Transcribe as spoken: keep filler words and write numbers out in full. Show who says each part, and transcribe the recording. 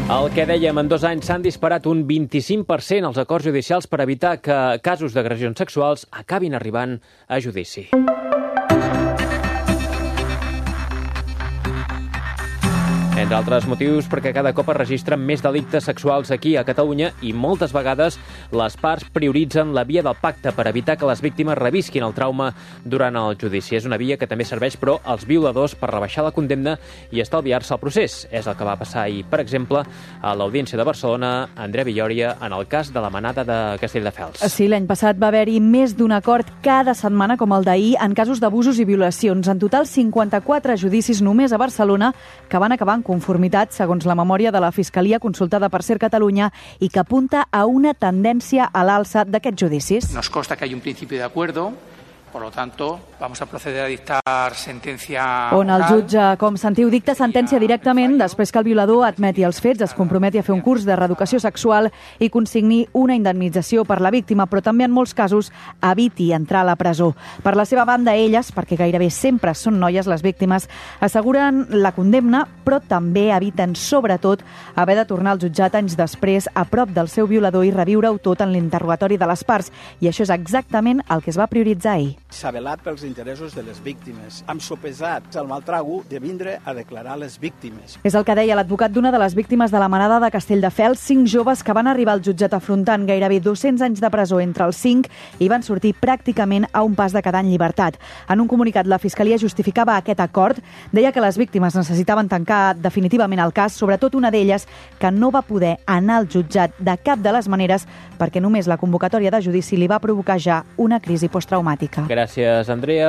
Speaker 1: El que dèiem, en dos anys s'han disparat un vint-i-cinc per cent els acords judicials per evitar que casos d'agressions sexuals acabin arribant a judici. Entre altres motius, perquè cada cop es registren més delictes sexuals aquí a Catalunya i moltes vegades les parts prioritzen la via del pacte per evitar que les víctimes revisquin el trauma durant el judici. És una via que també serveix, però, als violadors per rebaixar la condemna i estalviar-se el procés. És el que va passar ahir, per exemple, a l'Audiència de Barcelona, Andrea Villòria, en el cas de la manada de Castelldefels.
Speaker 2: Sí, l'any passat va haver-hi més d'un acord cada setmana, com el d'ahir, en casos d'abusos i violacions. En total, cinquanta-quatre judicis només a Barcelona que van acabar en conformitat, segons la memòria de la Fiscalia consultada per Ser Catalunya i que apunta a una tendència a l'alça d'aquests judicis.
Speaker 3: Nos consta que hay un principio de acuerdo. Por lo tanto, vamos a proceder a dictar sentencia
Speaker 2: on el jutge, com sentiu, dicta sentència directament després que el violador admeti els fets, es comprometi a fer un curs de reeducació sexual i consigni una indemnització per la víctima, però també en molts casos eviti entrar a la presó. Per la seva banda, elles, perquè gairebé sempre són noies les víctimes, asseguren la condemna, però també eviten, sobretot, haver de tornar al jutjat anys després a prop del seu violador i reviure-ho tot en l'interrogatori de les parts. I això és exactament el que es va prioritzar ahir.
Speaker 4: S'ha velat pels interessos de les víctimes. Hem sopesat el mal trago de vindre a declarar les víctimes.
Speaker 2: És el que deia l'advocat d'una de les víctimes de la manada de Castelldefels, cinc joves que van arribar al jutjat afrontant gairebé dos-cents anys de presó entre els cinc i van sortir pràcticament a un pas de quedar en llibertat. En un comunicat, la Fiscalia justificava aquest acord, deia que les víctimes necessitaven tancar definitivament el cas, sobretot una d'elles que no va poder anar al jutjat de cap de les maneres perquè només la convocatòria de judici li va provocar ja una crisi posttraumàtica.
Speaker 1: Gràcies, Andrea.